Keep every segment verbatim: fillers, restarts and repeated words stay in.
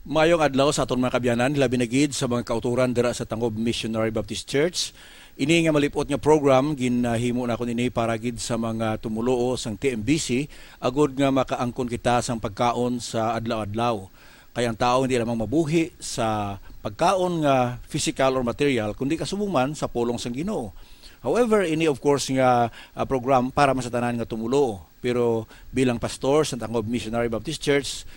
Mayong adlaw sa aton mga kabyanan, labi na gid sa mga kauturan dira sa Tangob Missionary Baptist Church. Ini nga malipot nga program, ginahimo na ko nini para gid sa mga tumuluo sang T M B C, agud nga makaangkon kita sang pagkaon sa adlaw-adlaw. Kay ang tao hindi lamang mabuhi sa pagkaon nga physical or material, kundi kasubong man sa pulong sang Ginoo. However, ini of course nga, ah, program para man sa tanan nga tumuluo. Pero bilang pastor sa Tangob Missionary Baptist Church,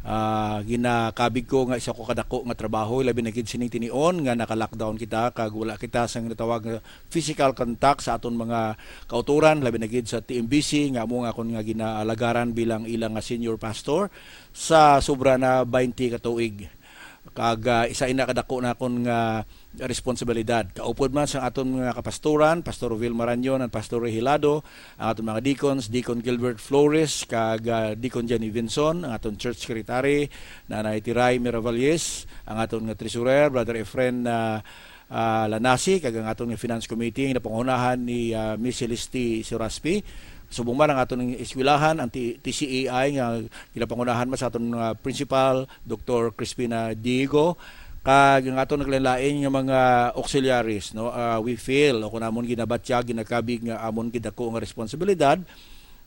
ah, ginakabig ko nga isa ko kadako nga trabaho, labi na gid sining tinion nga naka-lockdown kita, kag wala kita sang natawag nga physical contact sa aton mga kauturan, labi na gid sa T M B C, nga amo nga akon nga ginaalagaran bilang ilang nga senior pastor sa sobra na twenty ka tuig. Kag, ah, isa ina kadako na akon nga responsibilidad. Kaupod man sa aton mga kapastoran, Pastor Rovil Maranyon and Pastor Ray Hilado, ang aton mga deacons, Deacon Gilbert Flores, kag, ah, Deacon Jenny Vinson, ang aton church secretary, Nanay Tiray Miravalles, ang aton nga treasurer, Brother Efren, ah, ah, Lanasi, kag ang aton nga finance committee, nga napangunahan ni, ah, Miss Celeste Suraspi. Subong man ang aton eskwelahan, ang T-, T C A I, nga ginapangunahan man sa aton nga principal, Doktor Crispina Diego, kag ang aton naglain-lain nga mga auxiliaries, no? Ah, we feel, o kung amon ginabatyag, ginakabig nga amon gidako nga responsibilidad,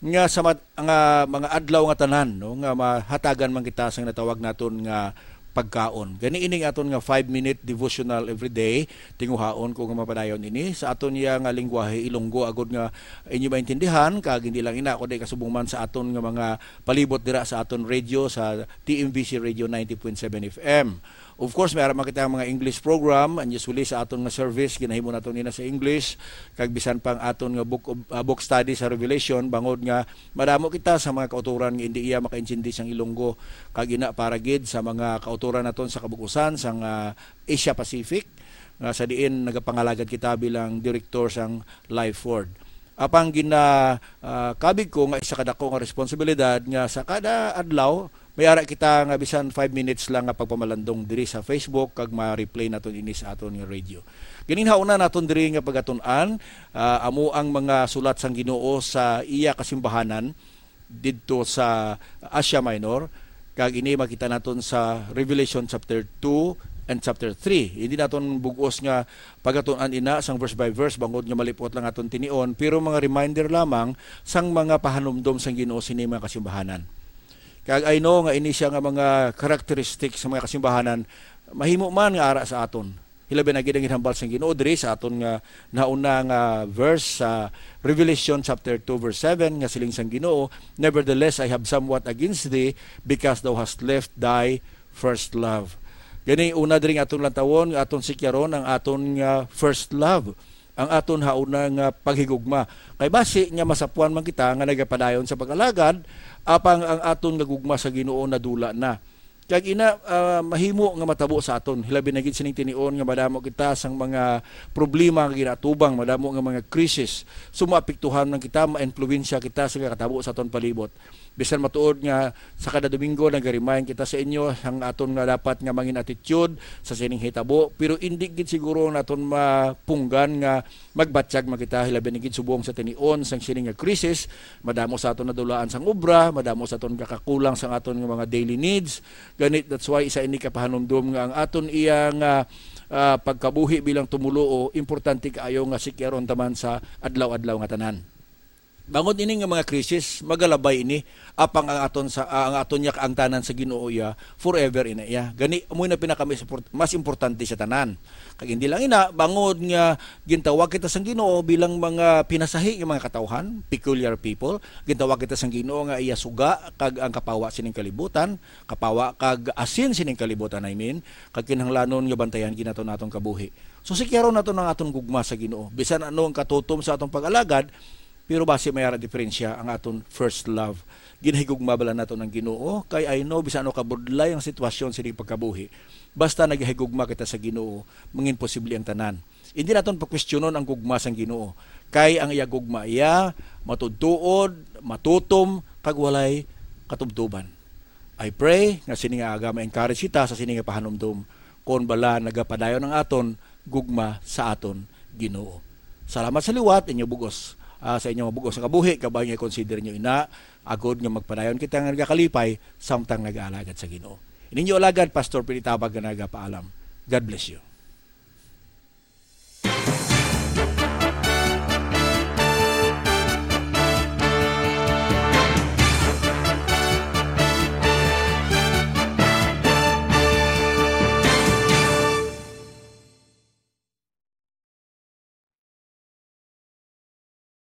nga sa mat-, nga mga adlaw nga tanan, no, nga mahatagan man kita sang natawag naton nga pagkaon. Gani ining aton nga five-minute devotional every day, tinguhaon ko nga mapadayon ini sa aton iya nga lingwahe Ilonggo, agud nga inyo maintindihan, kag hindi lang ina, kundi kasubong man sa aton nga mga palibot dira sa aton radio, sa T M B C Radio ninety point seven F M. Of course, may ara man kita ang mga English program, and usually sa aton nga service, ginahimo naton ina sa English, kag bisan pa ang aton nga book of, ah, book study sa Revelation, bangod nga madamo kita sa mga kauturan nga hindi iya makaintindi sang Ilonggo, kag ina para gid sa mga kauturan naton sa kabug-usan sang, ah, Asia Pacific, nga sa diin nagapangalagad kita bilang direktor sang Life Word. Apang gina, ah, kabig ko nga isa kadako nga responsibilidad nga sa kada adlaw may ara kita nga bisan five minutes lang nga pagpamalandong diri sa Facebook kag ma-replay naton ini sa aton nga radio. Ganing hauna naton diri nga pagatun-an, ah, amo ang mga sulat sang Ginoo sa iya kasimbahanan didto sa Asia Minor, kag ini makita naton sa Revelation chapter two and chapter three. Hindi naton bug-os nga pagatun-an ina sang verse by verse, bangod nga malipot lang aton tinion, pero mga reminder lamang sang mga pahanumdom sang Ginoo sini mga kasimbahanan. Kag I know nga ini siya nga mga characteristic sa mga kasimbahanan, mahimo man nga ara sa aton. Hilabi na gid ang ginhambal sang Ginoo diri sa aton nga nauna nga verse sa Revelation chapter two verse seven, nga siling sang Ginoo, "Nevertheless, I have somewhat against thee, because thou hast left thy first love." Gani, una diri nga aton lantawon, nga aton sikyaron ang aton nga first love, ang aton hauna nga paghigugma. Kay basi nga masapuan man kita nga nagapadayon sa pag-alagad, apang ang aton nga gugma sa Ginoo nadula na. Kag ina, ah, mahimo nga matabo sa aton, hilabi na gid sining tinion nga madamo kita sang mga problema nga ginaatubang, madamo nga mga krisis. So, maapektuhan man kita, maimpluwensya kita sa nakatabo sa aton palibot. Bisan matuod nga sa kada Domingo nag-remind kita sa inyo ang aton nga dapat nga mangin attitude sa sining hitabo, pero indi gid siguro naton mapunggan nga magbatyag man kita, hilabi na gid subong sa tinion sang sini nga krisis. Madamo sa aton nadulaan sang obra, madamo sa aton kakakulang sang aton nga mga daily needs. Gani, that's why isa ini ka pahanumdom nga ang aton iya nga, ah, pagkabuhi bilang tumuluo, importante kaayo nga sikyaron ta man sa adlaw-adlaw nga tanan. Bangod ini nga mga krisis, magalabay ini, apang ang aton sa, ah, ang aton niya kaangtanan sa Ginoo iya, forever ina iya. Gani, amo na pinaka mas import-, mas importante sa tanan. Kag hindi lang ina, bangod nga gintawag kita sang Ginoo bilang mga pinasahi nga mga katawhan, peculiar people, gintawag kita sang Ginoo nga iya suga kag ang kapawa sining kalibutan, kapawa kag asin sining kalibutan, I mean, kag kinahanglanon nga bantayan gid naton atong kabuhi. So, sikyaron naton ang aton gugma sa Ginoo. Bisan ano ang katutom sa atong pag-alagad, pero basi may ara diferensya ang aton first love. Ginahigugma bala naton ang Ginoo, kay I know, bisan ano kabudlay ang sitwasyon sining pagkabuhi, basta nagahigugma kita sa Ginoo, mangin posible ang tanan. Hindi naton pakwestiyonon ang gugma sang Ginoo, kay ang iya gugma iya matudtuod, matutom, kag walay katubtoban. I pray nga sini nga aga ma-encourage kita sa sini nga pahanumdom, kon bala nagapadayon ang aton gugma sa aton Ginoo. Salamat sa liwat, inyo bugos, ah, sa inyo bugos nga kabuhi, kabay nga i-consider nyo ina, agod nga magpadayon kita nga nagakalipay samtang nagaalagad sa Ginoo. Ninyo alagad, Pastor Pili Tabag, nga nagapaalam. God bless you.